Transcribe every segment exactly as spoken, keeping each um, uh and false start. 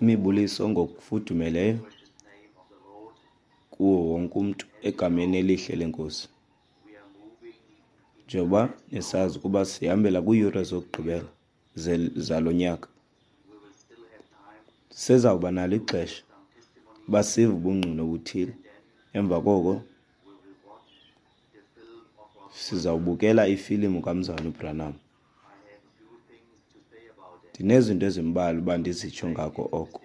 Imibuliso ngokufudumeleyo kuwo wonke umntu egameni elihle leNkosi. Njengoba nisazi ukuba sihambela kwiiyure zokugqibela zalo nyaka, sisezawuba nalo ixesha uba sive ubungqina obuthile. Emva koko sizawubukela ifilimu kaMzalwana uBranham. Ndinezinto ezimbalwa uba ndizitsho ngako oko,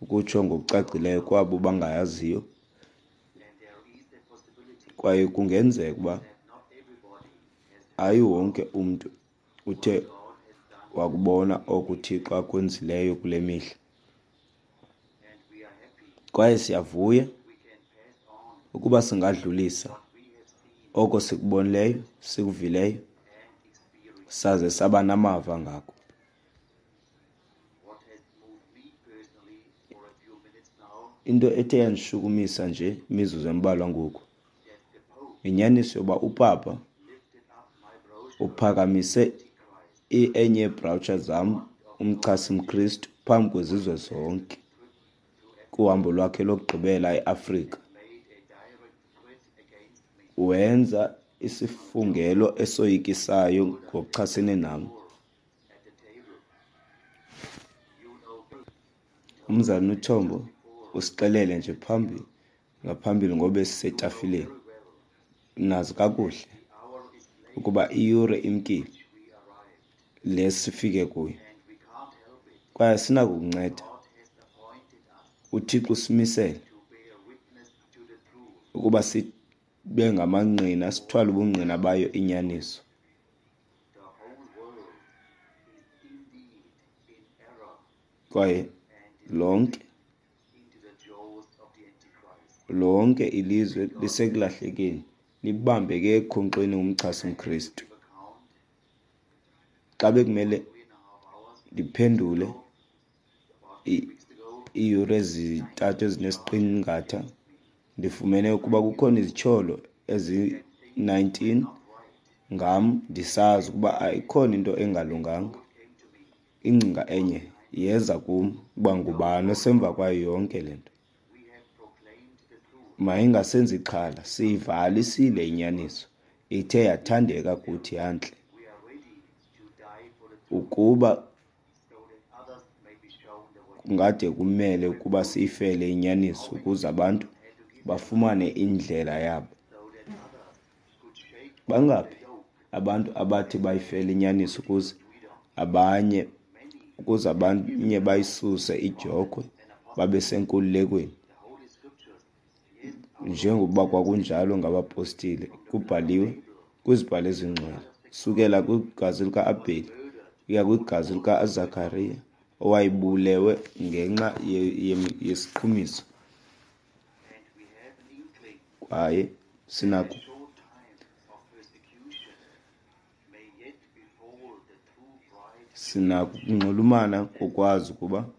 ukutsho ngokucacileyo kwabo bangayaziyo, kwaye kungenzeka uba hayi wonke umntu uthe wakubona oko uThixo akwenzileyo kule mihla. Kwaye siyavuya ukuba singadlulisa oko sikubonileyo, sikuvileyo, saze saba namava ngako. Into ethe yandishukumisa nje imizuzu embalwa ngoku, yinyaniso yoba upapa uphakamise enye yeebrawutsha zam, umchasi mKristu, phambi kwezizwe zonke kuhambo lwakhe lokugqibela eAfrika. Wenza isifungelo esoyikisayo ngokuchasene nam. Umzalwana uThombo usixelele nje phambi ngaphambili ngoba sisetafileni. Nazi kakuhle ukuba iyure imkile le sifike kuyo, kwaye sinakukunceda. UThixo usimisele ukuba sibe ngamangqina, sithwale ubungqina bayo inyaniso. Kwaye lonke lonke ilizwe lisekulahlekeni, libambeke ekhonkxeni umchasi mKristu. Xa bekumele ndiphendule iiyure ezintathu ezinesiqingatha, ndifumene ukuba kukhona izityholo ezi-nineteen ngam, ndisazi ukuba ayikhona into engalunganga. Ingcinga enye yeza kum uba ngubani osemva kwayo yonke le nto. Mayingasenzi ixhala, siyivalisile inyaniso, ithe yathandeka kuthi yantle. Ukuba kungade kumele ukuba siyifele inyaniso ukuze abantu bafumane indlela yabo. Bangaphi abantu abathi bayifele inyaniso ukuze abanye ukuze abanye bayisuse idyokhwe babe senkululekweni, njengokuba kwakunjalo ngabapostile, kubhaliwe kwizibhalo ezingcwele, sukela kwigazi lika-Abheli ukuya kwigazi likaZakariya owayebulewe ngenxa yesiqhumiso. Kwaye sinako sinako ukunxulumana kokwazi ukuba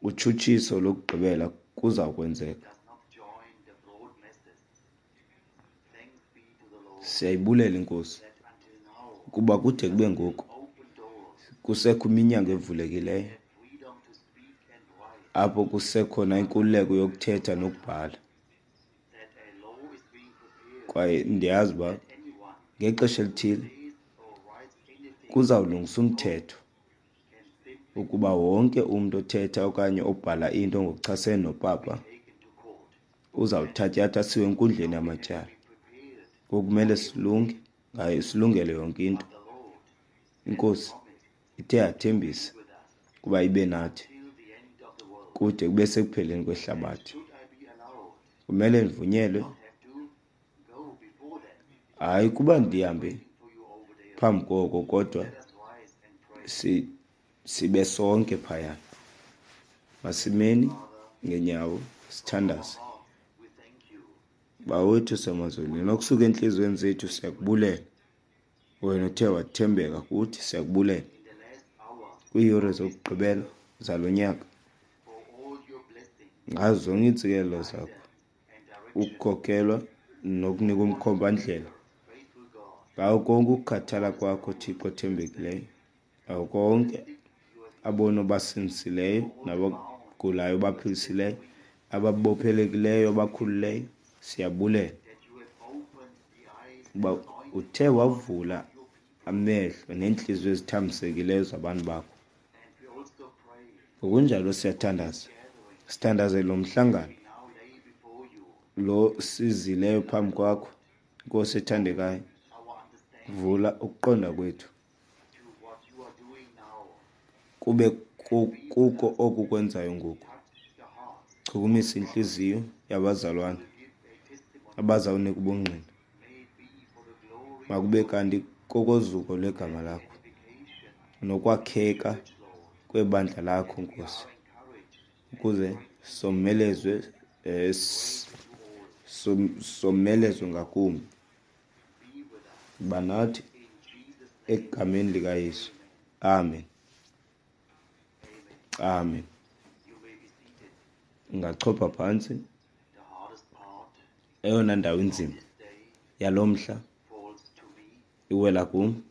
utshutshiso lokugqibela kuza kwenzeka. Siyayibulela iNkosi ukuba kude kube ngoku kusekho iminyango evulekileyo apho kusekhona inkululeko yokuthetha nokubhala. Kwaye ndiyazi uba ngexesha elithile kuzawulungisa umthetho ukuba wonke umntu othetha okanye obhala into ngokuchasene nopapa uzawuthatyathwa asiwe enkundleni yamatyala. Ngoku kumele silunge ngayo, silungele yonke into. INkosi ithe yathembisa ukuba ibe nathi kude kube sekupheleni kwehlabathi. Kumele ndivunyelwe, hayi kuba ndihambe phambi koko, kodwa si sibe sonke phaya. Masimeni ngenyawo sithandaze. Bawo wethu osemazulwini, okusuka entliziyweni zethu siyakubulela. Wena uthe wathembeka kuthi, siyakubulela. Kwiiyure zokugqibela zalo nyaka, ngazo zonke iintsikelelo zakho, ukukhokelwa nokunika umkhombandlela ngawo konke ukukhathala kwakho, Thixo othembekileyo, ngawo konke Abona obasindisileyo, nabagulayo obaphilisileyo, ababophelekileyo obakhululeyo, siyabulela uba uthe wavula amehlo neentliziyo ezithambisekileyo zabantu bakho. Ngokunjalo siyathandaza, sithandazele lo mhlangano lo sizileyo phambi kwakho, Nkosi ethandekayo. Vula ukuqonda kwethu kube kuko oku kwenzayo ngoku. Chukumisa intliziyo yabazalwana abazawunika ubungqina, makube kanti kokozuko lwegama lakho nokwakheka kwebandla lakho, Nkosi, ukuze somelezwe eh, somelezwe ngakumbi. Banathi egameni likaYesu, amen. Amen. Ungachopha phantsi. Eyona ndawo inzima yalo mhla iwela kum,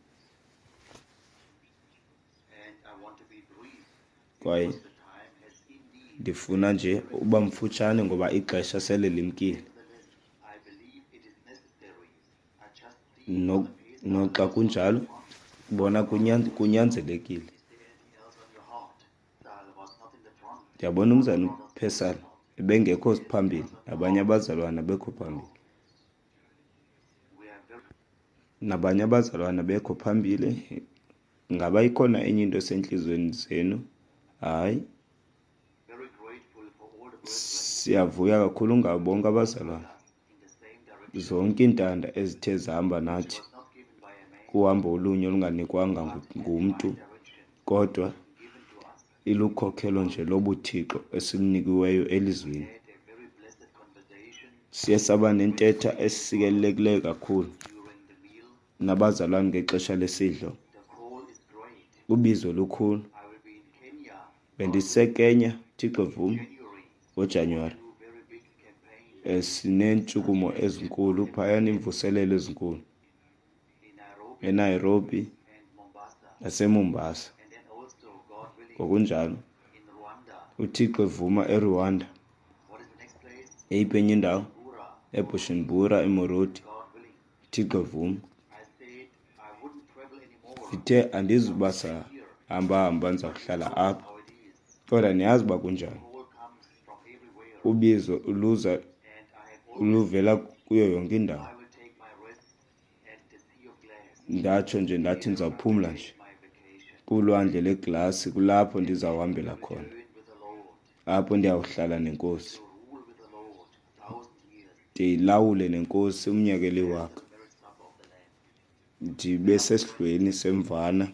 kwaye ndifuna nje uba mfutshane ngoba ixesha sele limkile. No, noxa kunjalo, bona kunyanzelekile. Ndiyabona umzana uPesal ebengekho phambili, nabanye abazalwana bekho phambili. Nabanye abazalwana bekho phambili. Ngaba ikhona enye into esentliziyweni zenu? Hayi. Siyavuya kakhulu ngabo bonke abazalwana. Zonke iintanda ezithe zahamba nathi kuhambo olunye olunganikwanga ngumntu, kodwa ilukhokhelo nje lobuthixo esilunikiweyo elizwini. Siye saba nentetha esikelelekileyo kakhulu nabazalwane ngexesha lesidlo. Ubizo lukhulu. BendiseKenya, Thixo vuma, ngoJanuwari. Sineentshukumo ezinkulu phayana, iimvuselelo ezinkulu eNairobi naseMombasa. Ngokunjalo uThixo evuma eRwanda. Eyiphi enye indawo? eBujumbura, eMorodi. Thixo evuma. Ndithe andizuba sahamba-hamba, ndizawuhlala apha. Kodwa niyazi uba kunjani. Ubizo luza luvela kuyo yonke indawo. Ndatsho nje ndathi ndizawuphumla nje kulwandle leglasi, kulapho ndizawuhambela khona, apho ndiyawuhlala nenkosi, ndilawule nenkosi umnyaka eliwaka, ndibe sesidlweni semvana.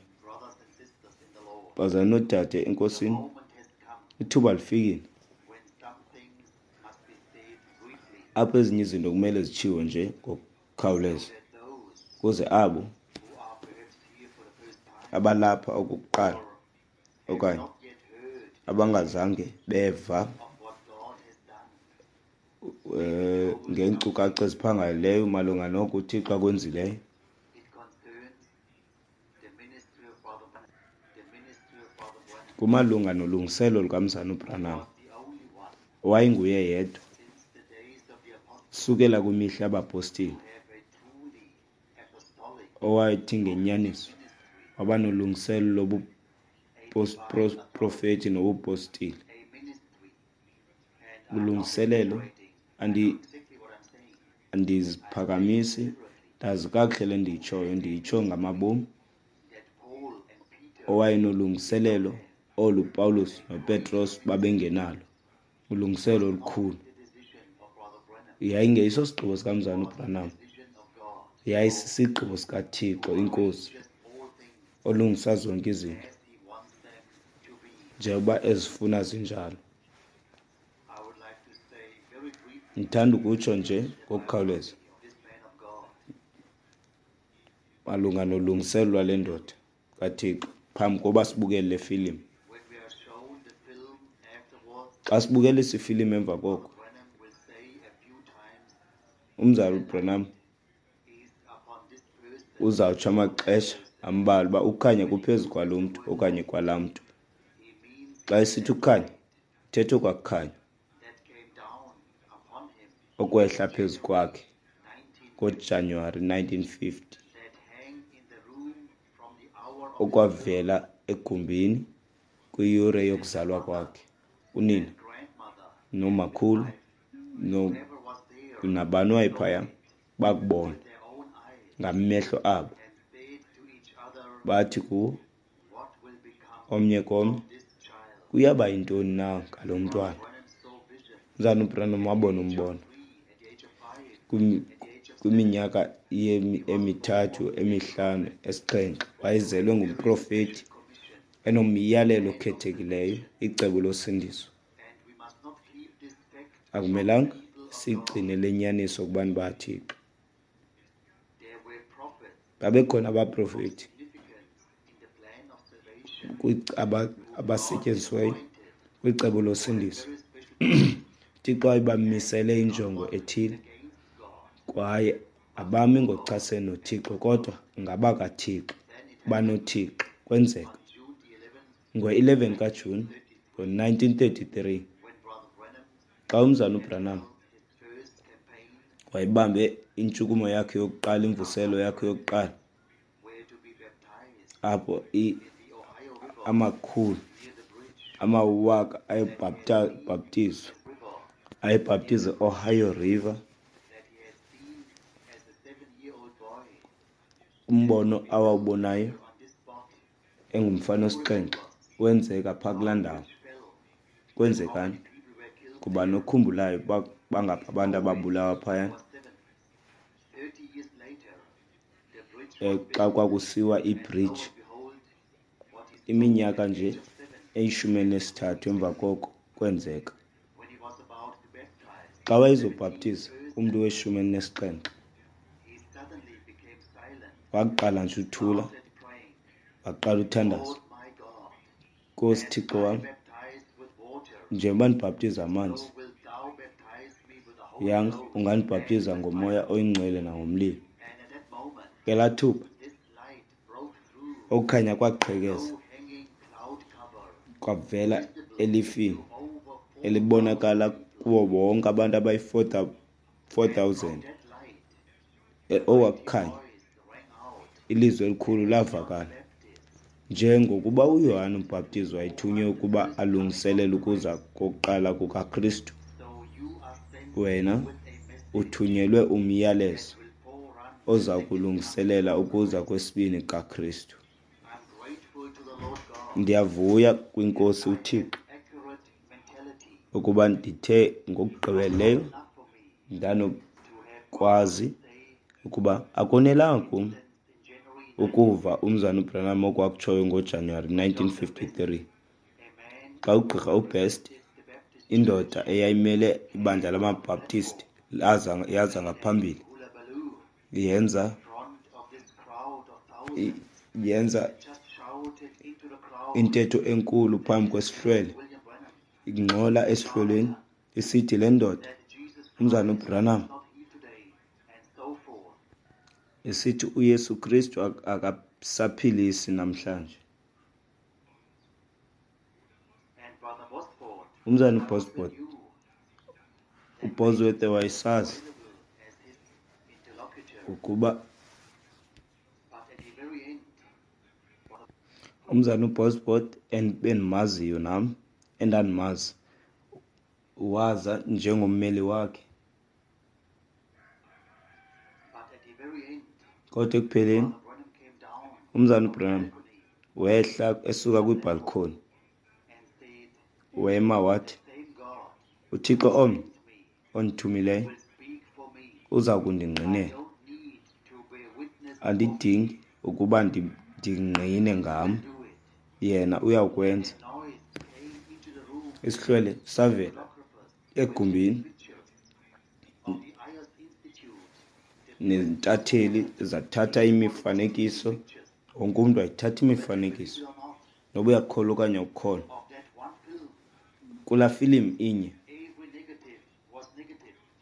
Bazalwane noodade enkosini, ithuba lifikile apho ezinye izinto kumele zitshiwo nje ngokukhawuleza, ukuze abo abalapha okokuqala okanye abangazange beva eh ngeenkcukacha eziphangaleleyo malunga noko uThixo akwenzileyo. Kumalunga nolungiselo lukaMzana uBranham, owayenguye yedwa sukela kwimihla yabapostile, owathi ngenyaniso waba nolungiselo lobuprofeti nobupostile. Ulungiselelo, andi andiziphakamisi, ndazi kakuhle le ndiyitshoyo, ndiyitsho ngamabomi. Owayenolungiselelo olu Paulus noPetros babengenalo, ulungiselelo olukhulu. Yayingeyiso sigqibo sikaMzana uBranham, yayisisigqibo sikaThixo iNkosi, olungisa zonke izinto njengoba ezifuna zinjalo. Ndithanda ukutsho nje ngokukhawuleza malunga nolungiselelo lwale ndoda kaThixo phambi koba sibukele le filimu. Xa sibukelisa ifilimu emva koko, umzali uBranham uzawutsho amaxesha ambalwa uba ukukhanya kuphezu kwalo mntu okanye kwalaa mntu. Xa esithi ukukhanya, uthetha okwakukhanya okwehla phezu kwakhe ngoJanuwari nineteen fifty, okwavela egumbini kwiyure yokuzalwa kwakhe. Unina nomakhulu nabani wayephaya bakubona ngamehlo abo, bathi kuwo omnye komnye, kuyaba yintoni na ngalo mntwana? Umzalwana uBranham wabona umbono kwiminyaka emithathu, emihlanu, esixhenxe. Wayezelwe ngumprofeti enomyalelo okhethekileyo, icebo losindiso. Akumelanga sigcine le nyaniso kubantu bakaThixo. Babekhona abaprofeti abasetyenzisiweyo kwicebo losindiso. UThixo wayebamisele injongo ethile, kwaye abami ngokuchasene noThixo, kodwa ngabakaThixo, banoThixo. Kwenzeka ngo-eleven kaJuni ngo-nineteen thirty-three, xa umzalwana uBranham wayebambe intshukumo yakhe yokuqala, imvuselo yakhe yokuqala, apho amakhulu amawaka ayebhaptizwa, ayebhaptiza e-Ohio River. Umbono awawubonayo engumfana osixhenxe wenzeka phaa kulaa ndawo. Kwenzekani? Kuba nokhumbulayo bangaphi abantu ababulawa phayana xa kwakusiwa ibridge, iminyaka nje eyishumi elinesithathu emva koko kwenzeka. Xa wayezobhaptiza umntu weshumi elinesixhenxe, waqala nje uthula, waqala uthandaza. Nkosi Thixo wam, njengoba ndibhaptiza amanzi, yanga ungandibhaptiza ngomoya oyingcwele nangomlilo. Ngelaa thuba okukhanya kwaqhekeza, kwavela elifini elibonakala kuwo wonke abantu abayi-four thousand. Okwakukhanya, ilizwi elikhulu lavakala. Njengokuba uYohane uMbhaptizi wayethunywe ukuba alungiselele ukuza kokuqala kukaKristu, wena uthunyelwe umyalezo oza kulungiselela ukuza kwesibini kukaKristu. Ndiyavuya kwiNkosi uThixo ukuba ndithe ngokugqibeleleyo ndanokwazi ukuba akonelanga kum ukuva umzalwana uBranham okwakutshoyo ngoJanuwari nineteen fifty-three, xa ugqirha uBest, indoda eyayimele ibandla lamaBaptist, yaza ngaphambili yenza yenza intetho enkulu phambi kwesihlwele, ingxola esihlweleni isithi le ndoda umzalwana uBranham esithi uYesu Kristu akasaphilisi namhlanje. Umzalwana uBosworth, uBosworth wayesazi ukuba umzalwana uBosworth endimaziyo nam, endandimazi, waza njengommeli wakhe. Kodwa ekupheleni umzalwana uBranham wehla esuka kwibhalkhoni, wema wathi, uThixo omnye ondithumileyo uza kundingqinela. Andidingi ukuba ndingqine ngam, yena uyakwenza. Isihlwele savela egumbini, neentatheli zathatha imifanekiso, wonke umntu wayithatha imifanekiso, noba uyakholwa okanye awukholwa. Kulaa filimu inye,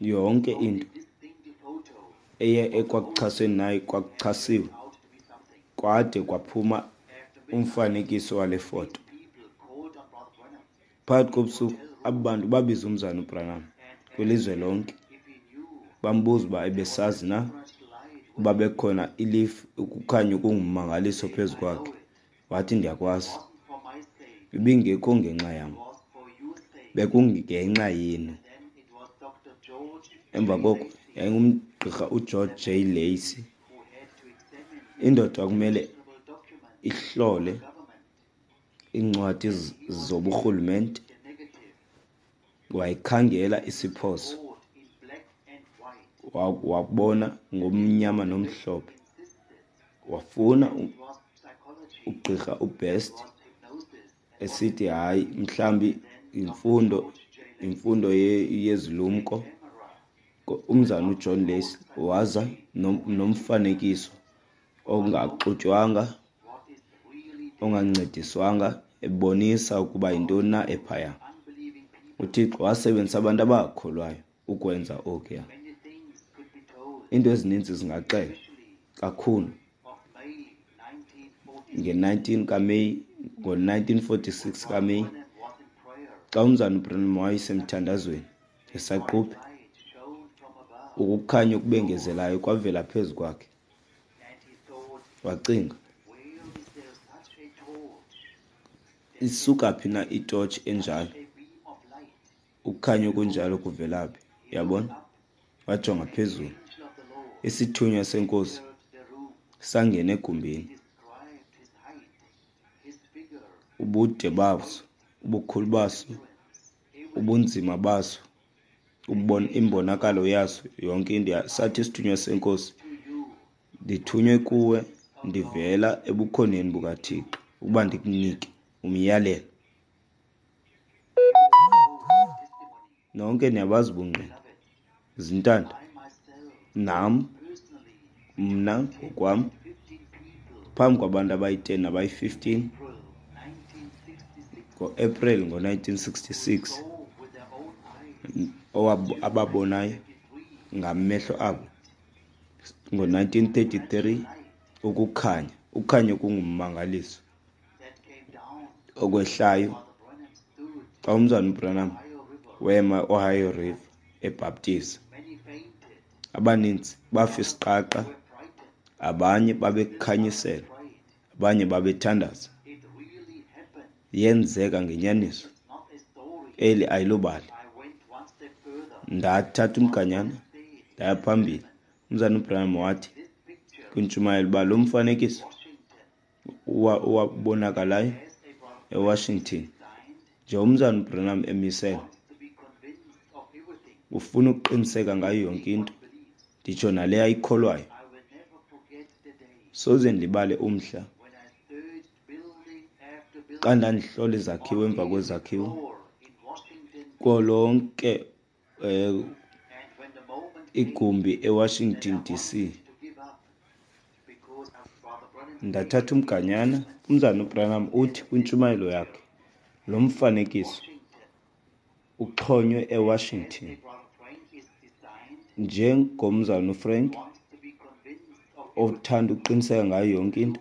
yonke into eye ekwakuchaseni nayo kwakuchasiwe, kwade kwaphuma umfanekiso wale foto. Phakathi kobusuku, aba bantu babiza umzana uBranham kwilizwe lonke, bambuza uba ebesazi na uba bekukhona ilifu, ukukhanya okungummangaliso phezu kwakhe. Wathi, ndiyakwazi. Ibingekho ngenxa yam, bekungenxa yenu. Emva koko yayingumgqirha uGeorge J. Lacey, indoda kumele ihlole iincwadi zoburhulumente. Wayikhangela isiphoso, wabona ngomnyama nomhlophe. Wafuna ugqirha uBest esithi hayi, mhlambi imfundo imfundo yezilumko. Umzana uJohn Lacey waza nomfanekiso ongaxutywanga, ongancediswanga, ebonisa ukuba yintoni na ephaya. UThixo wasebenzisa abantu abakholwayo ukwenza okuya. Iinto ezininzi zingaxelwa kakhulu. nge-nineteen kaMeyi, ngo-nineteen forty-six kaMeyi, xa umzana uBranham wayesemthandazweni esaquphe, ukukhanya okubengezelayo kwavela phezu kwakhe. Wacinga, isuka phi na itotshi enjalo? Ukukhanya okunjalo kuvela phi? Yabona? Wajonga phezulu. Isithunywa senkosi sangena egumbini. Ubude baso, ubukhulu baso, ubunzima baso, imbonakalo yaso, yonke into. Sathi isithunywa senkosi, ndithunywe kuwe ndivela ebukhoneni bukaThixo ukuba ndikunike umyalelo. Nonke niyabazi ubungqina. Zintanda, nam, mna ngokwam, phambi kwabantu abayi-ten nabayi-fifteen, ngo-April ngo-nineteen sixty-six, ababonayo ngamehlo abo ngo-nineteen thirty-three ukukhanya, ukukhanya okungummangaliso okwehlayo xa umzana uBranham wema e-Ohio River ebhaptiza. Abaninzi bafa isiqaqa, abanye babekhanyiselwa, abanye babethandaza. Yenzeka ngenyaniso. Eli ayilobali. Ndathatha umganyana ndaya phambili. Umzana uBranham wathi kwintshumayelo uba lo mfanekiso owabonakalayo eWashington, nje umzana uBranham emisele, ufuna ukuqiniseka ngayo yonke into, nditsho nale ayikholwayo. Soze ndilibale umhla xa ndandihlola izakhiwo emva kwezakhiwo kuwo lonke eh, igumbi eWashington D C. Ndathatha umganyana. Umzana uBranham uthi kwintshumayelo yakhe, lo mfanekiso uxhonywe eWashington njengomzana uFrank othanda ukuqiniseka ngayo yonke into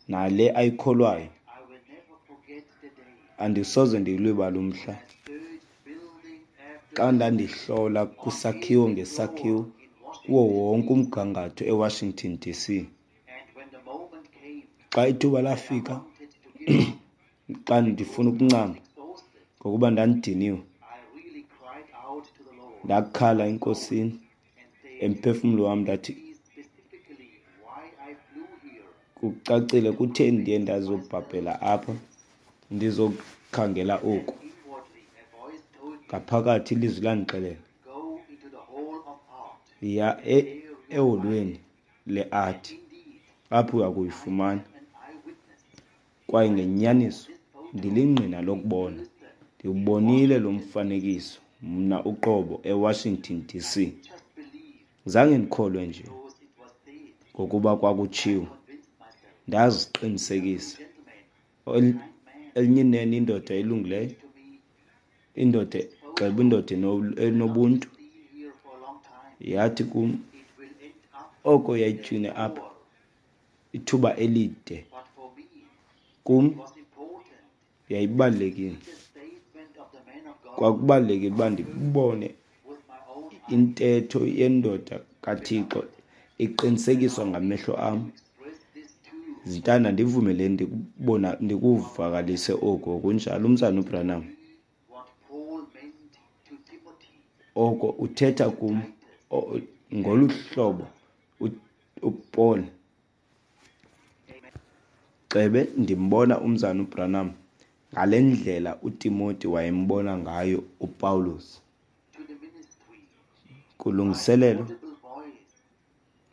nale ayikholwayo. Andisoze ndilibale umhla xa ndandihlola kwisakhiwo ngesakhiwo kuwo wonke umgangatho eWashington D C. Xa ithuba lafika, xa ndifuna ukuncama ngokuba ndandidiniwe, ndakhala enkosini emphefumlo wam, ndathi kucacile kutheni ndiye ndazobhabhela apha ndizokhangela oku. Ngaphakathi ilizwi landixelela, yiya e-, eholweni le-art, apho uya kuyifumana. Kwaye ngenyaniso ndilingqina lokubona, ndiwubonile lo mfanekiso mna uqobo eWashington D C. Zange ndikholwe nje ngokuba kwakutshiwo, ndaziqinisekisa. Elinye inene indoda elungileyo, indoda gxeba, indoda enobuntu, yathi kum oko yayitywine apha ithuba elide. Kum Yayibalulekile. Kwakubalulekile uba ndibone intetho yendoda kaThixo iqinisekiswa ngamehlo am. Zintanda, ndivumeleni ndikubona ndikuvakalise oku kunjalo, Umzana uBranham. Oko uthetha kum ngolu hlobo uPaul. Cebe ndimbona uMzana uBranham ngale ndlela uTimoti wayembona ngayo uPawulos. Kulungiselelo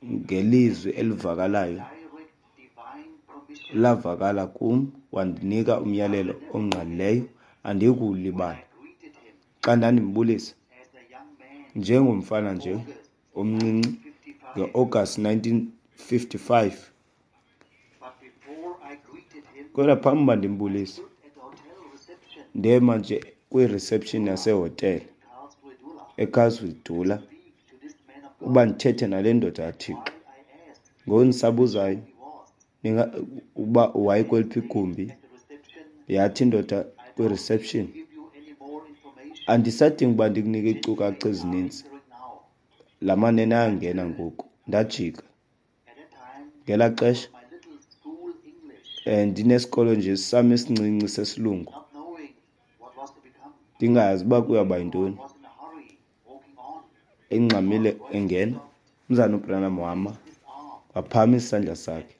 ngelizwi elivakalayo lavakala kum, wandinika umyalelo ongqalileyo andiyikuwulibala. Xa ndandimbulisa njengomfana nje omncinci nge-August nineteen fifty-five, kodwa phambi uba ndimbulise ndema nje kwi-reception yasehotele eCarlsville uba ndithethe nale ndoda kaThixo. Ngoku ndisabuzayo uba wayekweliphi igumbi, yathi indoda kwi-reception, andisadingi uba ndikunike iinkcukacha ezininzi, la manene ayangena ngoku. Ndajika ngelaa xesha um ndinesikolo nje sam esincinci sesilungu, ndingayazi uba kuyawuba yintoni. Engxamile engena, uMzana uBranham wama, waphakamisa isandla sakhe,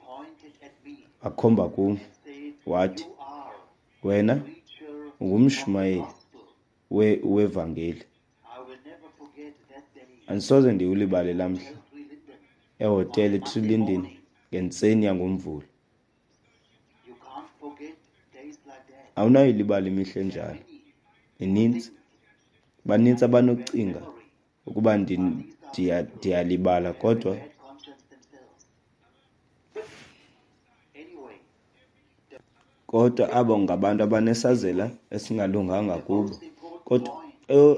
wakhomba kum, wathi, wena ungumshumayeli wevangeli. Andisoze ndiwulibale laa mhla ehotele eTrilindeni ngentseni yangoMvulo. Awunayilibala imihla enjalo. Ininzi, banintsi abanokucinga ukuba ndiyalibala, kodwa kodwa abo ngabantu abanesazela esingalunganga kubo. Kodwa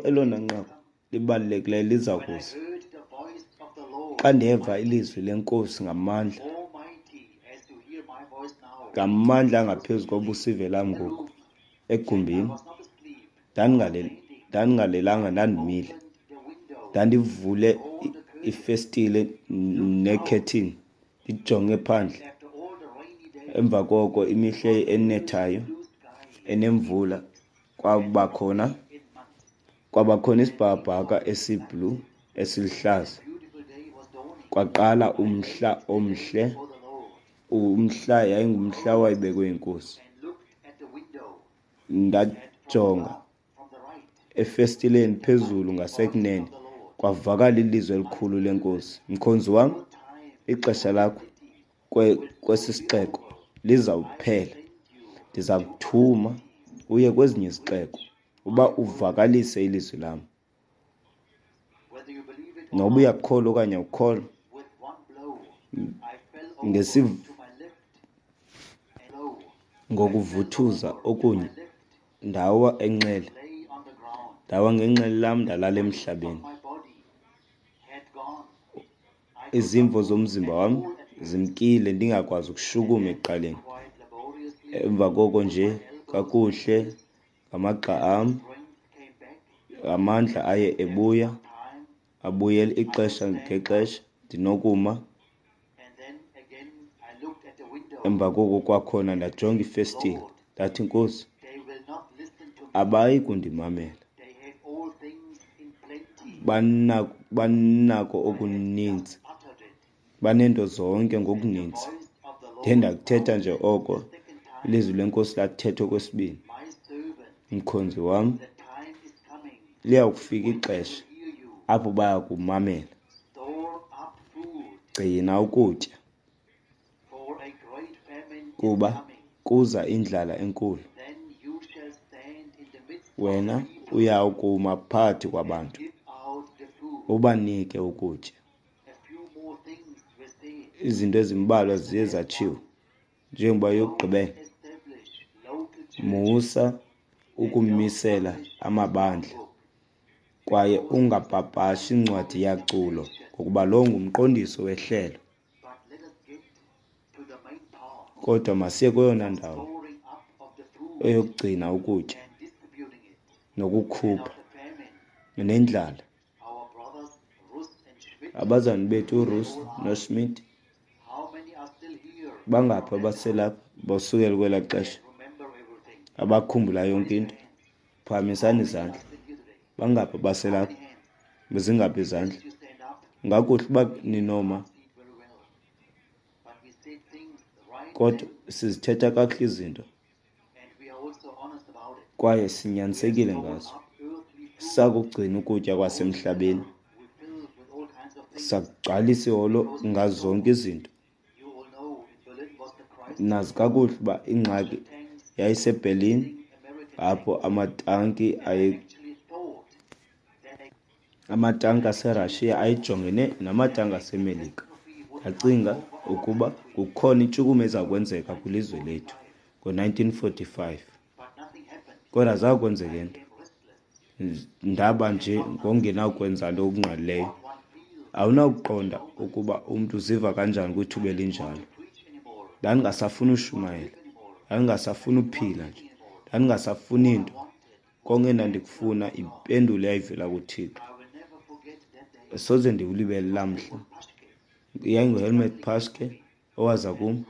elona nqaku libalulekileyo liza kuza. Xa ndeva ilizwi leNkosi ngamandla, ngamandla angaphezu kobusive lam ngoku egumbini, ndandingalelanga, ndandimile, ndandivule ifestile nekhethini ndijonge phandle. Emva koko imihla enethayo enemvula kwabakhona kwabakhona isibhakabhaka esiblu esiluhlaza. Kwaqala umhla omhle, umhla yayingumhla owayebekwe yiNkosi. Ndajonga efestileni phezulu ngasekunene, kwavakala ilizwi elikhulu leNkosi, mkhonzi wam, ixesha lakho kwesi sixeko lizawuphela. Ndiza kuthuma uye kwezinye izixeko uba uvakalise ilizwi lam. Noba uyakholwa okanye awukholwa, ngokuvuthuza okunye ndawa enxele, ndawa ngenxele lam ndalala emhlabeni. Izimvo zomzimba wam zimkile, ndingakwazi ukushukuma ekuqaleni. Emva koko nje kakuhle ngamagxa am, amandla aye ebuya, abuyela ixesha ngexesha ndinokuma. Emva koko kwakhona ndajonga ifestile, ndathi, Nkosi, abayi kundimamela, banako okuninzi, baneento zonke ngokuninzi. Ndiye ndakuthetha nje oko, ilizwi leNkosi lathetha okwesibini, mkhonzi wam, liyawukufika ixesha apho baya kumamela. Gcina ukutya, kuba kuza indlala enkulu. Wena uyawukuma phakathi kwabantu ubanike ukutya. Izinto ezimbalwa ziye zatshiwo njengoba yokugqibela, musa ukumisela amabandla kwaye ungapapashi incwadi yaculo, ngokuba lo ngumqondiso wehlelo. Kodwa masiye kweyona ndawo Eyokugcina ukutya nokukhupha nendlala. Abazalwana bethu uRuss noSchmidt, bangaphi abaselapha basukela kwelaa xesha abakhumbula yonke into? Phakamisani izandla. Bangaphi abaselapha? Zingaphi izandla? Ngakuhle uba ninoma, kodwa sizithetha kakuhle izinto kwaye sinyanisekile ngazo. Sakugcina ukutya kwasemhlabeni, sakugcwalisa iholo ngazo zonke izinto. Nazi kakuhle uba ingxaki yayiseBerlin, apho amatanki aye amatanki aseRussia ayejongene namatanki aseMelika. Ndacinga ukuba kukhona intshukumo eza kwenzeka kwilizwe lethu ngo-nineteen forty-five, kodwa zange kwenzeke nto. Ndaba nje ngongenakwenza nto okungqalileyo. Awunakuqonda ukuba umntu uziva kanjani kwithuba elinjalo. Ndandingasafuni ushumayela, ndandingasafuni uphila nje, ndandingasafuni nto. Konke endandikufuna impendulo eyayivela kuThixo. Soze ndiwulibele laa mhla. YayinguHelmut Paschke owaza kum,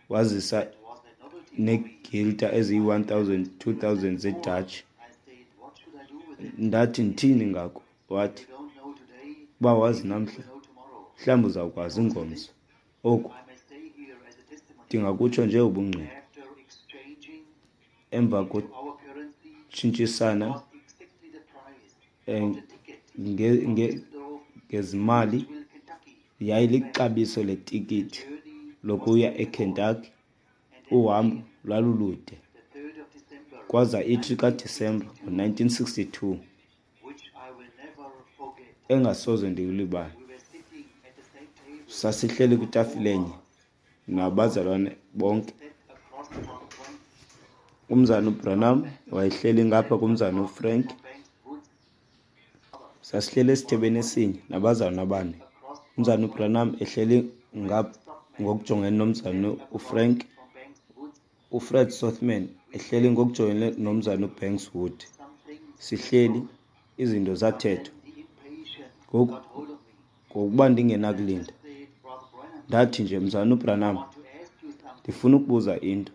wazisa neegilta eziyi-one thousand, two thousand zeDutch. Ndathi, ndithini ngako? Wathi, uba wazi namhla, mhlawumbi uzawukwazi ingomso. Oku ndingakutsho nje ubungqina. Emva kokutshintshisana ngezimali, yayilixabiso letikiti lokuya eKentucky. Uhambo lwalulude. Kwaza ithi kaDisemba ngo-nineteen sixty-two, engasoze ndiyilibale, sasihleli kwitafile enye nabazalwane bonke. Umzana uBranham wayehleli ngapha kumzana uFrank. Sasihleli esithebeni esinye nabazalwane abane. Umzana uBranham ehleli ngapha ngokujongene nomzana uFrank, uFred Sothmann ehleli ngokujongene nomzana uBanks Wood. Sihleli, izinto zathethwa. Ngoku, ngokuba ndingenakulinda, ndathi nje, Mzana uBranham, ndifuna ukubuza into.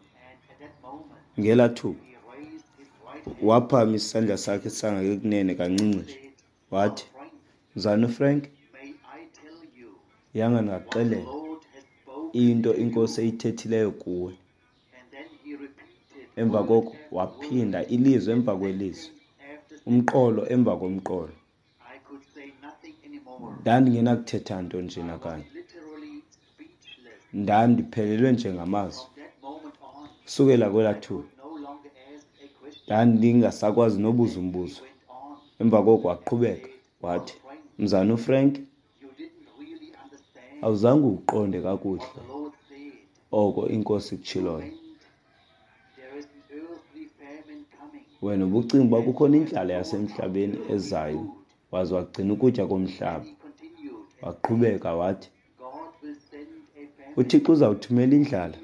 Ngelaa thuba waphakamisa isandla sakhe sangasekunene kancinci nje, wathi, Mzana uFrank, yanga ndingakuxelela into iNkosi eyithethileyo kuwe. Emva koko waphinda ilizwi emva kwelizwi, umqolo emva komqolo. Ndandingenakuthetha nto nje nakanye. Ndandiphelelwe nje ngamazwi. Sukela kwelaa thuba ndandingasakwazi nobuza umbuzo. Emva koko waqhubeka wathi, Mzana uFrank, awuzange uqonde kakuhle oko iNkosi ikutshiloyo. Wena ubucinga uba kukhona indlala yasemhlabeni ezayo, waze wagcina ukutya komhlaba. Waqhubeka wathi, uThixo uzawuthumela indlala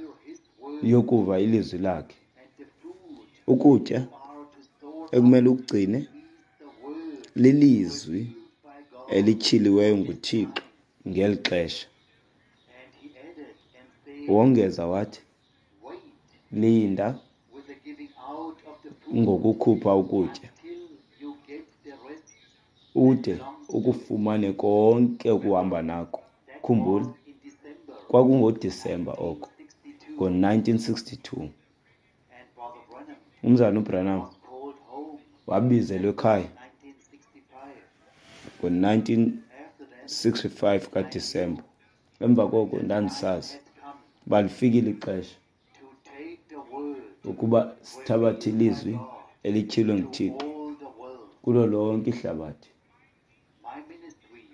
yokuva ilizwi lakhe. Ukutya ekumele ukugcine lilizwi elityhiliweyo nguThixo ngeli xesha. Wongeza wathi, linda ngokukhupha ukutya ude ukufumane konke okuhamba nako. Khumbula, kwakungoDisemba oko ngo-nineteen sixty-two. Umzana uBranham wabizelwa ekhaya ngo-nineteen sixty-five kaDisemba. Emva koko ndandisazi uba lifikile ixesha ukuba sithabathe ilizwi elityhilwe nguThixo kulo lonke ihlabathi.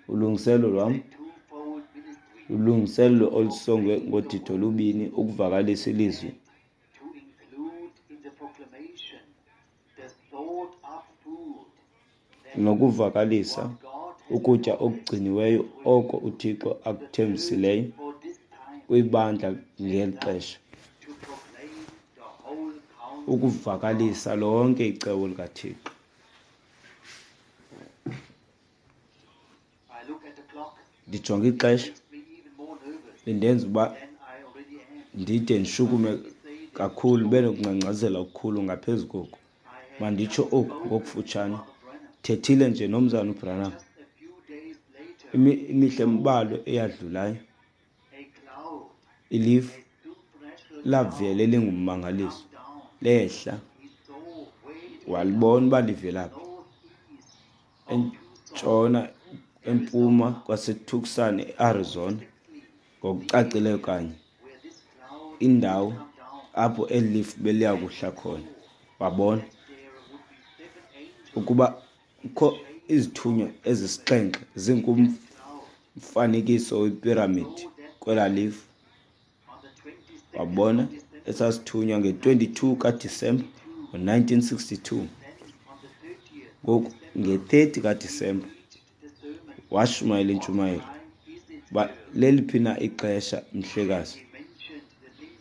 Ulungiselelo lwam lulungiselelo olusongwe ngodidi olubini ukuvakalisa ilizwi nokuvakalisa ukutya okugciniweyo oko uThixo akuthembisileyo kwibandla ngeli xesha. Ukuvakalisa lonke icebo likaThixo. Ndijonge ixesha lindenza uba ndide ndishukume kakhulu, ndibe nokungcangcazela okukhulu ngaphezu koku. Manditsho oku ngokufutshane. Thethile nje nomzana uBranham imihla embalwa eyadlulayo. Ilifu lavela elingummangaliso lehla, walibona uba livelaphi entshona empuma kwaseTucson, eArizona, ngokucacileyo kanye indawo apho eli lifu beliya kuhla khona. Wabona ukuba kukho izithunywa ezisixhenxe zingumfanekiso wepiramidi kwelaa lifu. Wabona esasithunywa nge-twenty-two kaDisemba ngo-nineteen sixty-two. Ngoku nge-thirty kaDisemba washumayela intshumayelo uba leliphi na ixesha, mhlekazi.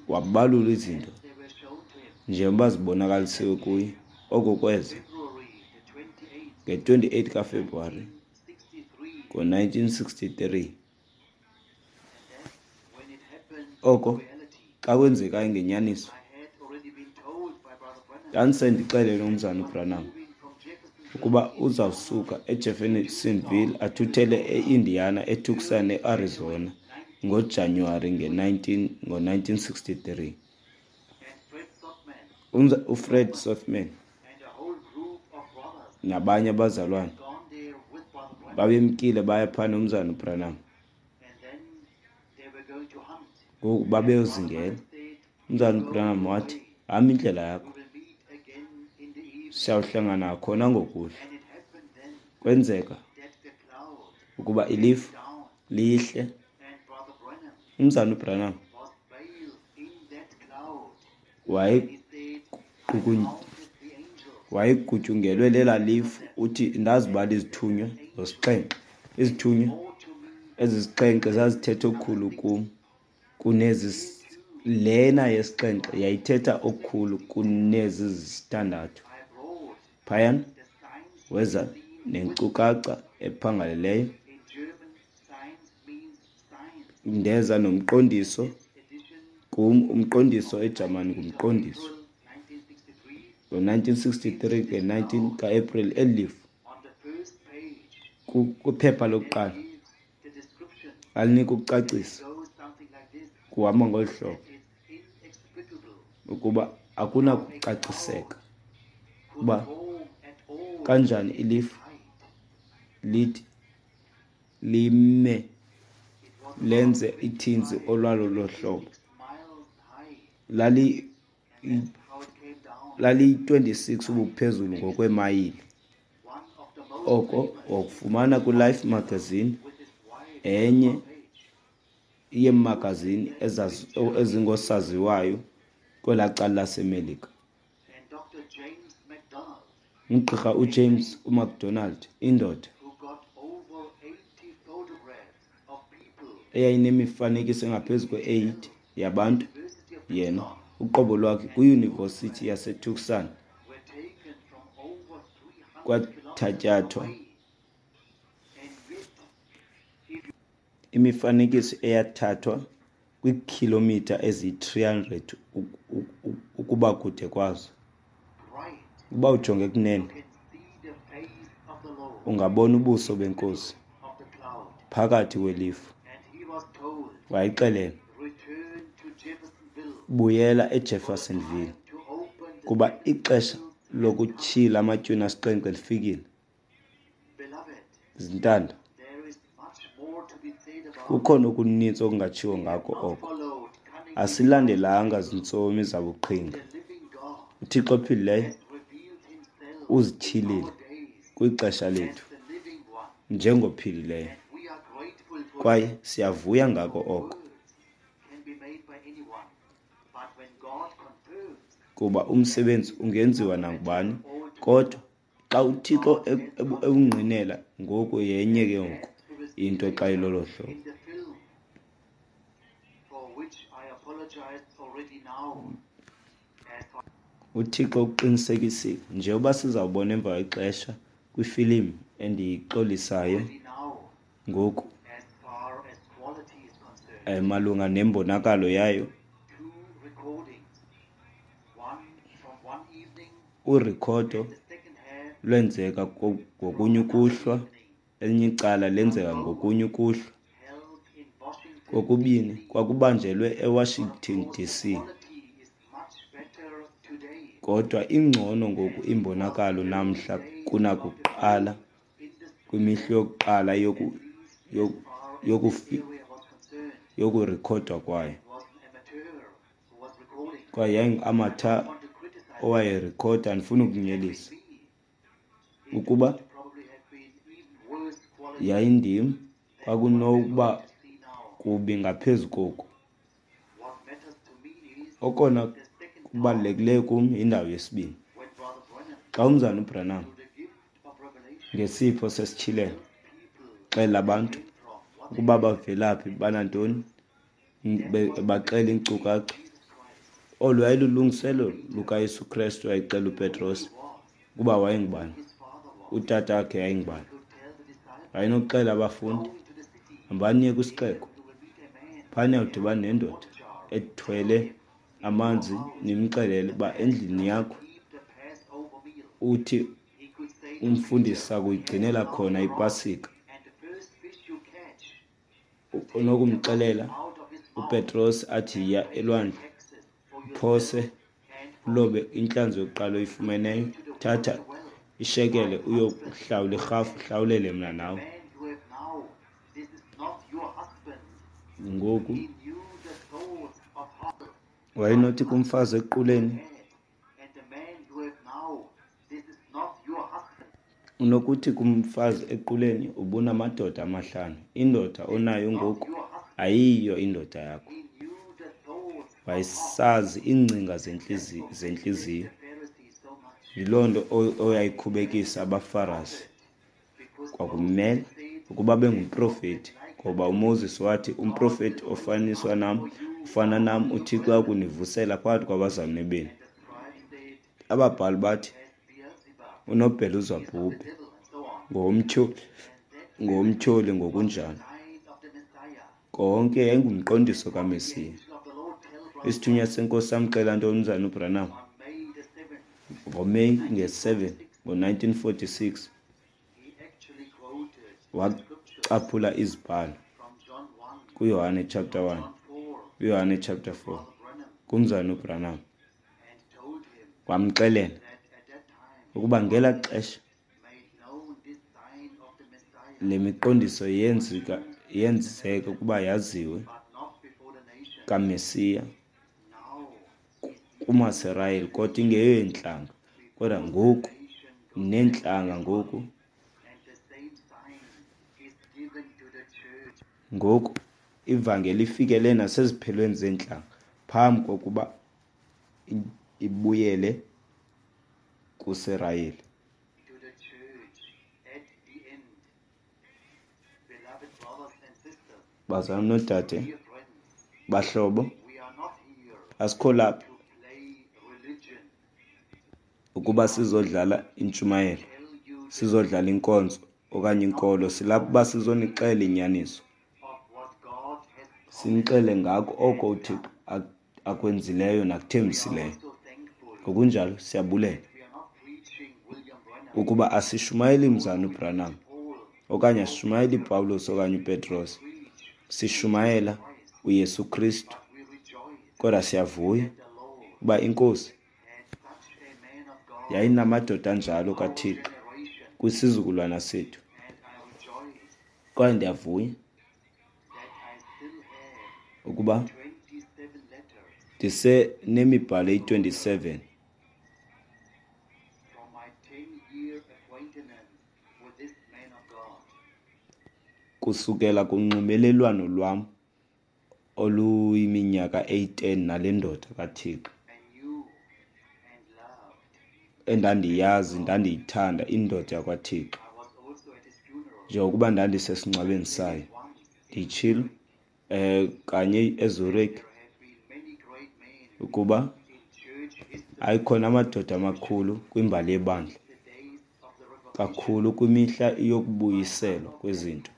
Wabalula izinto njengoba zibonakalisiwe kuye oko kweza nge-twenty-eight kaFebruwari ngo-nineteen sixty-three. Oko xa kwenzekayo ngenyaniso, ndandisendixelele umzana uBranham ukuba uzawusuka eJeffersonville athuthele eIndiana, eTucson, eArizona ngoJanuwari nge-nineteen, ngo-nineteen sixty-three. UFred Sothmann nabanye abazalwane babemkile baya phaa nomzana uBranham. Ngoku babeyozingela. Umzana uBranham wathi, hamba indlela yakho, siyawuhlangana khona ngokuhlwa. Kwenzeka ukuba ilifu lihle. Umzana uBranham wayegutyungelwe lela lifu. Uthi ndazibala izithunywa zosixhenxe. Izithunywa ezisixhenxe zazithetha okukhulu kum kunezi. Lena yesixhenxe yayithetha okukhulu kunezi zisithandathu. Phayana weza nenkcukacha ephangaleleyo. Ndeza nomqondiso kum, umqondiso eJamani ngumqondiso. Ngo-nineteen sixty-three nge-nineteen ka-April eli lifu kwiphepha lokuqala alinika ukucacisa kuhamba ngolu hlobo ukuba akunakucaciseka uba kanjani ilifu lithi lime lenze ithinzi olwalo lohlobo. Lali laliyi-twenty-six ubuphezulu ngokweemayile. Oko wakufumana kwiLife magazine, enye yeemagazini ezingosaziwayo kwelaa cala laseMelika. Ugqirha uJames uMcDonald, indoda eyayinemifanekiso engaphezu kwe-eighty yabantu, yena uqobo lwakhe kwiyunivesithi yaseTucson kwathatyathwa imifanekiso eyathathwa kwiikhilomitha eziyi-three hundred ukuba kude kwazo. Ukuba ujonge kunene, ungabona ubuso benkosi phakathi kwelifu. Wayixelela, buyela eJeffersonville kuba ixesha lokutyhila amatywina asixhenxe lifikile. Zintanda, kukhona okuninzi okungatshiwo ngako oko. Asilandelanga zintsomi zabuqhinga. UThixo ophilileyo uzityhilile kwixesha lethu njengophilileyo, kwaye siyavuya ngako oko, kuba umsebenzi ungenziwa nangubani, kodwa xa uThixo ewungqinela ngoku yenye ke ngoku into xa ilolo hlobo. UThixo uqinisekisile, njengoba sizawubona emva kwexesha kwifilimu endiyixolisayo ngoku malunga nembonakalo yayo. Urekhodo lwenzeka ngokunye ukuhlwa, elinye icala lenzeka ngokunye ukuhlwa. Kokubini kwakubanjelwe eWashington D C Kodwa ingcono ngoku imbonakalo namhla kunakuqala kwimihla yokuqala yoku, yoku, yokurekhodwa kwayo. Kwaye yayingu-amateur owayerekhoda, andifuni ukunyelisa. Ukuba yayindim, kwakunokuba kubi ngaphezu koku. Okona kubalulekileyo kum yindawo yesibini. Xa umzana uBranham ngesipho sesityhilelo xelela abantu ukuba bavelaphi, banantoni, baxela iinkcukacha. Olu yayilulungiselelo lukaYesu Krestu wayexela uPetros ukuba wayengubani, utata wakhe yayingubani. Wayenokuxelela abafundi, hambani niye kwisixeko, phaya niyawudibana nendoda ethwele amanzi, nimxelele uba endlini yakho uthi umfundisi akuyigcinela khona iPasika. Unokumxelela uPetros athi yiya elwandle, uphose ulobe intlanzi yokuqala oyifumeneyo, thatha ishekele uyokuhlawula irhafu, uhlawulele mna nawe. Ngoku wayenothi kumfazi equleni, unokuthi kumfazi equleni, ubunamadoda amahlanu, indoda onayo ngoku ayiyo indoda yakho. Wayesazi iingcinga zentliziyo. Yiloo nto oyayikhubekisa abaFarasi. Kwakumele ukuba bengumprofeti, ngoba uMoses wathi umprofeti ofaniswa nam, ufana nam, uThixo uyakunivusela phakathi kwabazalwane benu. Ababhali bathi unoBhelezebhubhi ngowomtyholi, ngowomtyholi ngokunjalo. Konke yayingumqondiso kaMesiya. Isithunywa senkosi samxelela ntoni umzana uBranham? NgoMeyi nge-seven ngo-nineteen forty-six wacaphula izibhalo kuYohane chapter one, kuYohane chapter four, kumzana uBranham. Wamxelela ukuba ngelaa xesha le miqondiso yenzeka, yenzeka ukuba yaziwe kaMesiya kumaSirayeli, kodwa ingeyontlanga. Kodwa ngoku neentlanga ngoku ngoku ivangeli ifikele naseziphelweni zeentlanga phambi kokuba ibuyele kuSirayeli. Bazalwane noodade, bahlobo, asikho lapha ukuba sizodlala intshumayelo, sizodlala inkonzo okanye inkolo. Silapha uba sizonixelela inyaniso, sinixele ngako oko uThixo akwenzileyo nakuthembisileyo. Ngokunjalo siyabulela ukuba asishumayeli mzana uBranham okanye asishumayeli Pawulos okanye uPetros, sishumayela uYesu Kristu. Kodwa siyavuya uba iNkosi yayinamadoda anjalo kaThixo kwisizukulwana sethu. Kwaye ndiyavuya ukuba ndisenemibhalo eyi-twenty-seven kusukela kunxibelelwano lwam oluyiminyaka eyi-ten nale ndoda kaThixo endandiyazi, ndandiyithanda, indoda yakwaThixo, njengokuba ndandisesingcwabeni sayo. Nditshilo eh kanye eZurich ukuba Ayikhona amadoda amakhulu kwimbali yebandla, kakhulu kwimihla yokubuyiselwa kwezinto,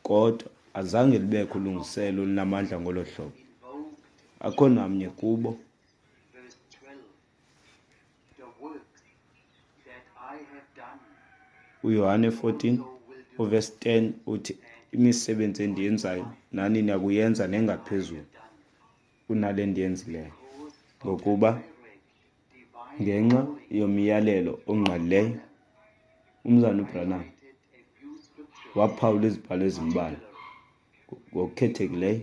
kodwa azange lubekho ulungiselelo olunamandla ngolo hlobo. Akho namnye kubo. UYohane fourteen uvesi ten uthi, imisebenzi endiyenzayo nani niyakuyenza nengaphezulu kunale ndiyenzileyo, ngokuba ngenxa yomyalelo ongqalileyo, uMzalwana uBranham waphawula izibhalo ezimbalwa, ngokukhethekileyo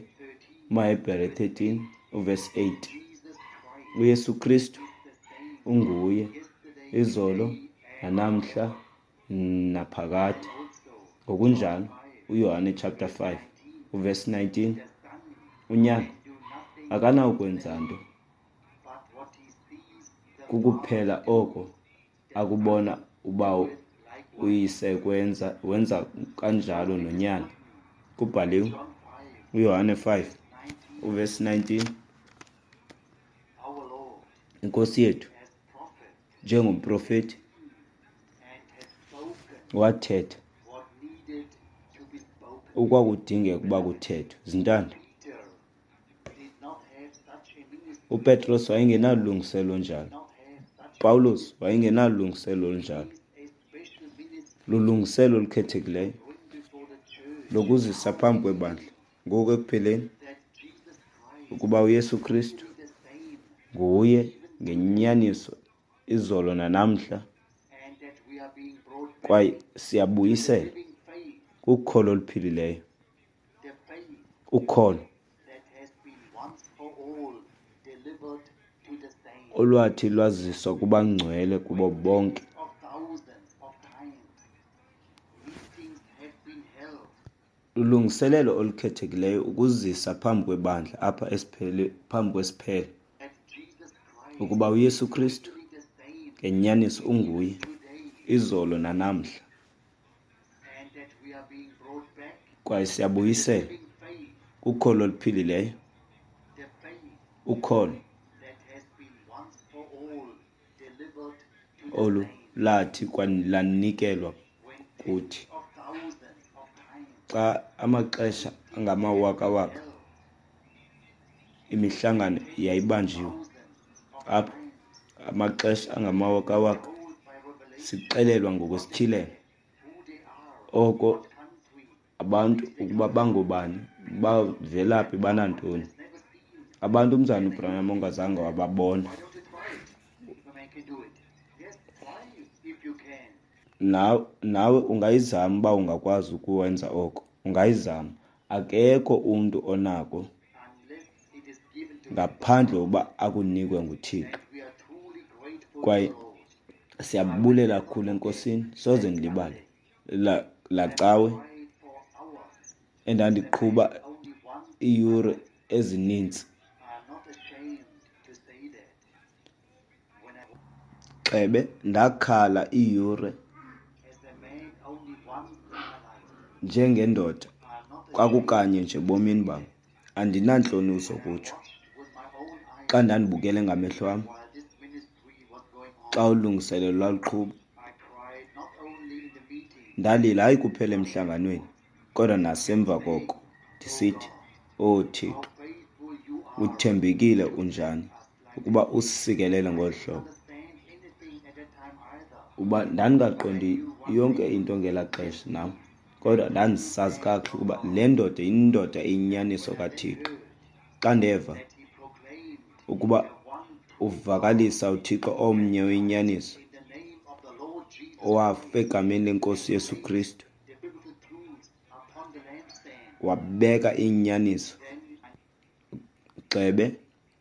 umaHebhere thirteen uvesi eight. UYesu Kristu unguye izolo nanamhla naphakade. Ngokunjalo uYohane chapter five uvesi nineteen, uNyana akanawukwenza nto kukuphela oko akubona uBawo uYise kwenza, wenza kanjalo noNyana. Kubhaliwe uYohane five uvesi nineteen, iNkosi yethu njengomprofeti wathetha okwakudingeka ukuba kuthethwe. Zintanda, uPetros wayengenalungiselelo njalo, Pawulos wayengenalungiselelo njalo. Lulungiselelo olukhethekileyo lokuzisa phambi kwebandla ngoku ekupheleni, ukuba uYesu Kristu nguye ngenyaniso izolo nanamhla, kwaye siyabuyisela kukholo oluphilileyo, ukholo olwathi lwaziswa kubangcwele kubo bonke. Lulungiselelo olukhethekileyo ukuzisa phambi kwebandla apha esiphele, phambi kwesiphelo, ukuba uYesu Kristu ngenyaniso unguye izolo nanamhla, kwaye siyabuyisela kukholo oluphilileyo, ukholo olu lathi lanikelwa kuthi xa amaxesha angamawakawaka imihlangano yayibanjiwe apha, amaxesha angamawakawaka sixelelwa ngokwesityhilelo oko abantu ukuba bangobani, bavelaphi, banantoni. Abantu uMzalwana uBranham ongazange wababona. Nawe, nawe ungayizama uba ungakwazi ukuwenza oko. Ungayizama. Akekho umntu onako ngaphandle uba akunikwe nguThixo. Kwaye siyabulela kakhulu eNkosini, soze ndilibale la, la cawe endandiqhuba iiyure ezininzi. Xebe ndakhala iiyure njengendoda kwakukanye nje ebomini bam. Andinantloni zokutsho. Xa ndandibukele ngamehlo am xa ulungiselelo lwaluqhuba, ndalila hayi kuphela emhlanganweni kodwa nasemva koko, ndisithi, Oh Thixo, uthembekile unjani ukuba usisikelele ngolu hlobo. Uba ndandingaqondi yonke into ngelaa xesha nam, kodwa ndandisazi kakuhle ukuba le ndoda yindoda eyinyaniso kaThixo. Xa ndeva ukuba uvakalisa uThixo omnye oyinyaniso owafa egameni leNkosi Yesu Kristu, wabeka inyaniso gxebe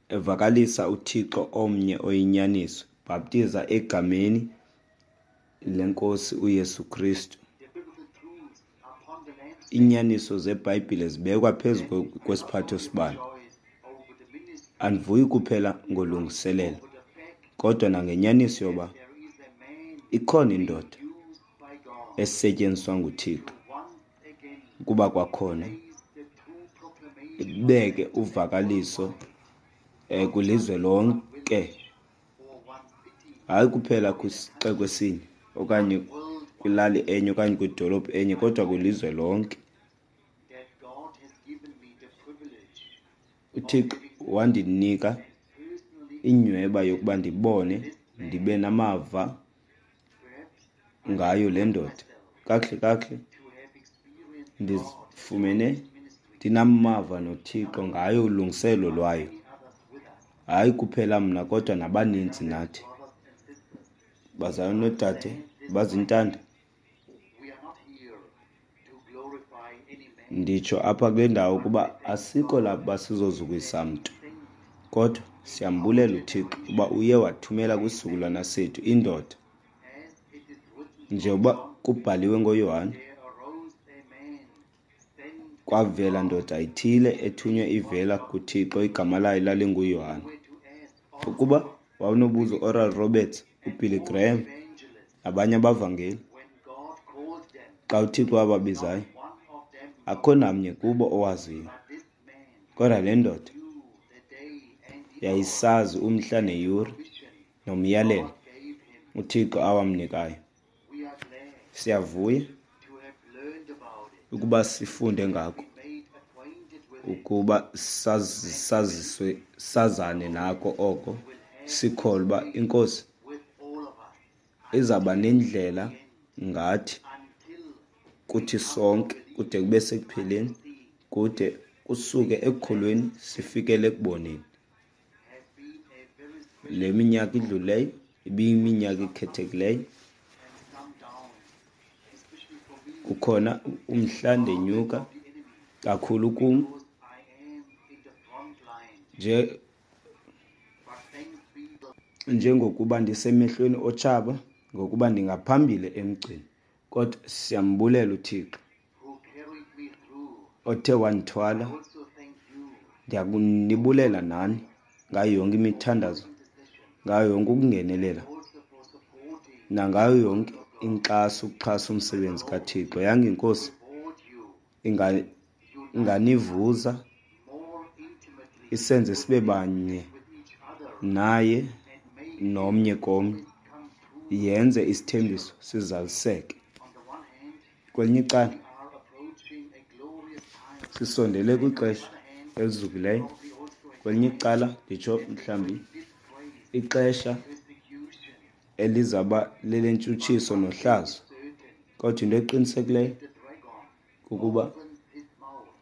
evakalisa uThixo omnye oyinyaniso, bhaptiza egameni leNkosi uYesu Kristu. Inyaniso zeBhayibhile zibekwa phezu kwesiphatho sibane. Andivuyi kuphela ngolungiselelo, kodwa nangenyaniso yoba ikhona indoda esetyenziswa nguThixo ukuba kwakhona ibeke uvakaliso um kwilizwe lonke, hayi kuphela kwisixeko esinye okanye kwilali enye okanye kwidolophu enye, kodwa kwilizwe lonke. UThixo wandinika inyweba yokuba ndibone, ndibe namava ngayo le ndoda. Kakuhle kakuhle ndifumene ndinamava noThixo ngayo ulungiselelo lwayo, hayi kuphela mna kodwa nabaninzi nathi. Bazalwane noodade bazintanda, nditsho apha kule ndawo ukuba asikho lapha sizozukisa mntu, kodwa siyambulela uThixo uba uye wathumela kwisizukulwana sethu indoda, njengoba kubhaliwe ngoYohane, kwavela ndoda ithile ethunywe ivela kuThixo, igama layo lalinguYohane. Ukuba wawunobuza uOral Roberts, uBilly Graham nabanye abavangeli, xa uThixo wababizayo, akho namnye kubo owaziyo. Kodwa le ndoda yayisazi umhla neyure nomyalelo uThixo awamnikayo. Siyavuya ukuba sifunde ngako, ukuba saziswe, sazane nako oko, sikholwa uba iNkosi izawuba nendlela ngathi kuthi sonke kude kube sekupheleni, kude kusuke ekukholweni sifikele ekuboneni. Le minyaka idlulileyo ibiyiminyaka ekhethekileyo. Kukhona umhla ndenyuka kakhulu kum nje njengokuba ndisemehlweni otshaba, ngokuba ndingaphambili emgceni. Kodwa siyambulela uThixo othe wandithwala. Ndiyakunibulela nani ngayo yonke imithandazo, ngayo yonke ukungenelela, nangayo yonke inkxaso ukuxhasa umsebenzi kaThixo. Yanga iNkosi inganivuza, isenze sibe banye naye nomnye komnye, yenze isithembiso sizaliseke. Kwelinye icala sisondele kwixesha elizukileyo, kwelinye icala nditsho mhlawumbi ixesha elizawuba lelentshutshiso nohlazo. Kodwa into eqinisekileyo kukuba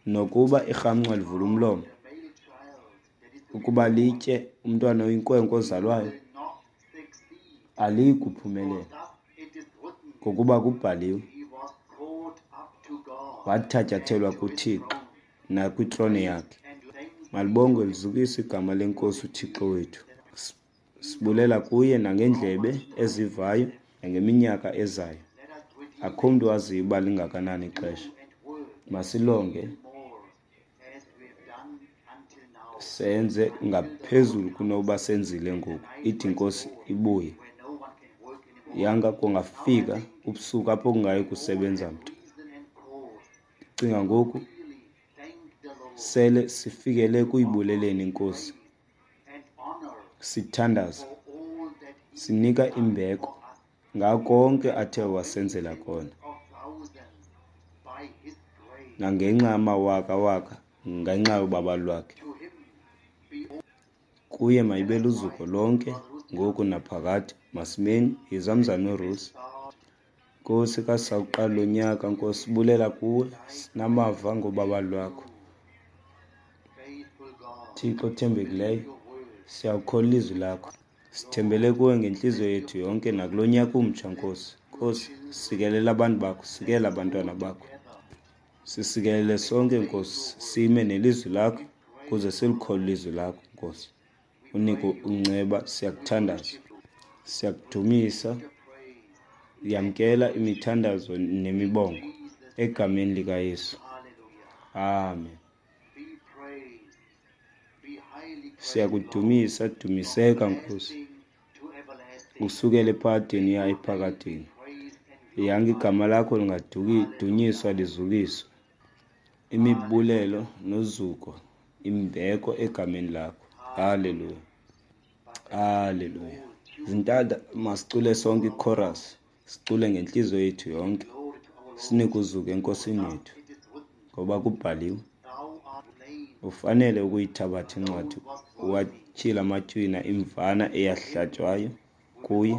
nokuba irhamncwa livula umlomo ukuba litye umntwana oyinkwenkwe ozalwayo, aliyi kuphumelela, ngokuba kubhaliwe, wathatyathelwa kuThixo nakwitrone yakhe. Malibongwe lizukiswe igama leNkosi uThixo wethu. Sibulela kuye nangendlebe ezivayo nangeminyaka ezayo. Akho mntu waziyo uba lingakanani ixesha. Masilonge senze ngaphezulu kunoba senzile ngoku, ithi iNkosi ibuye. Yanga kungafika ubusuku apho kungayi kusebenza mntu. Ndicinga ngoku sele sifikele kuyibuleleni iNkosi, sithandaza, sinika imbeko ngako konke athe wasenzela kona, nangenxa yamawaka-waka ngenxa yobabalo lwakhe. Kuye mayibe luzuko lonke ngoku naphakade. Masimeni. Yiza mzalwana uRusi. Nkosi, xa sisawuqala lo nyaka, Nkosi, sibulela kuwe, sinamava ngobabalo lwakho. Thixo othembekileyo, siyawukholwa ilizwi lakho. Sithembele kuwe ngentliziyo yethu yonke nakulo nyaka umtsha, Nkosi. Nkosi, sikelela abantu bakho, sikelela abantwana bakho. Sisikelele sonke, Nkosi, sime nelizwi lakho ukuze silikholwe ilizwi lakho, Nkosi. Unike unceba, siyakuthandaza, siyakudumisa. Yamkela imithandazo nemibongo egameni likaYesu. Amen. Siyakudumisa, dumiseka Nkosi, usukele ephakadeni uya ephakadeni. Yanga igama lakho lingadunyiswa lizukiswe. Imibulelo nozuko, imbeko egameni lakho. Haleluya, haleluya. Zintanda, masicule sonke ichorus, sicule ngentliziyo yethu yonke, sinike uzuko eNkosini yethu, ngoba kubhaliwe, ufanele ukuyithabatha incwadi, uwatyhile amatywina, imvana eyahlatywayo kuye,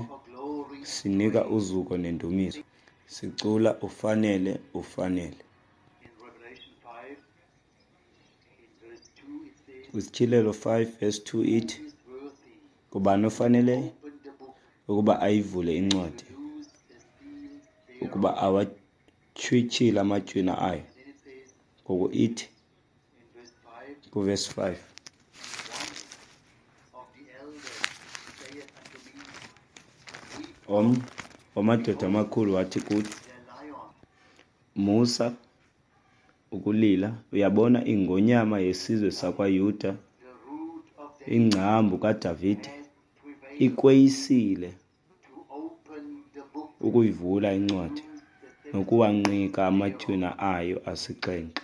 sinika uzuko nendumiso. Sicula ufanele, ufanele. KwiSityhilelo five verse two ithi, ngubani ofaneleyo ukuba ayivule incwadi, ukuba awatyhwityhile amatywina ayo? Ngoku ithi kuvesi five, omnye wamadoda amakhulu wathi kuthi, musa ukulila, uyabona ingonyama yesizwe sakwaYuda, ingcambu kaDavide, ikweyisile ukuyivula incwadi nokuwanqika amatywina ayo asixhenxe.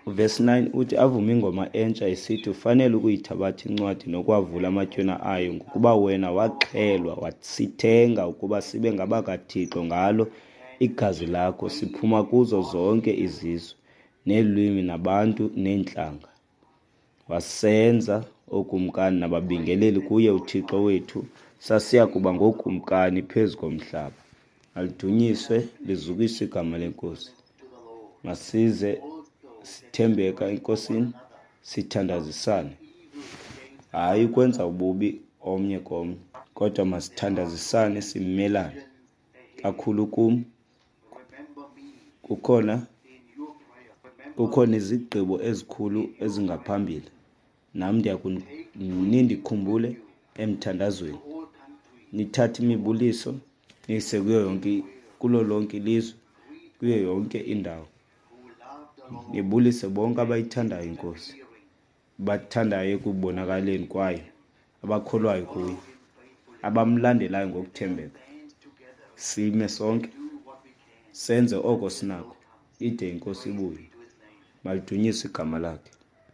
Verse nine uthi, avuma ingoma entsha esithi, ufanele ukuyithabatha incwadi nokuwavula amatywina ayo, ngokuba wena waxhelwa, wasithenga ukuba sibe ngabakaThixo ngalo igazi lakho, siphuma kuzo zonke izizwe neelwimi nabantu neentlanga. Wasenza ookumkani nababingeleli kuye uThixo wethu, sasiya kuba ngookumkani phezu komhlaba. Malidunyiswe lizukiswe igama leNkosi. Masize sithembeka eNkosini, sithandazisane, hayi ukwenza ububi omnye komnye, kodwa masithandazisane simelane. Kakhulu kum kukhona kukhona izigqibo ezikhulu ezingaphambili, nam ndiyakunindikhumbulen emthandazweni. Nithathe imibuliso niyise kuyo yonke, kulo lonke ilizwe, kuyo yonke indawo. Nibulise bonke abayithandayo iNkosi, bathandayo ekubonakaleni kwayo, abakholwayo kuyo, abamlandelayo ngokuthembeka. Sime sonke senze oko sinako, ide iNkosi ibuye. Malidunyiswe igama lakhe.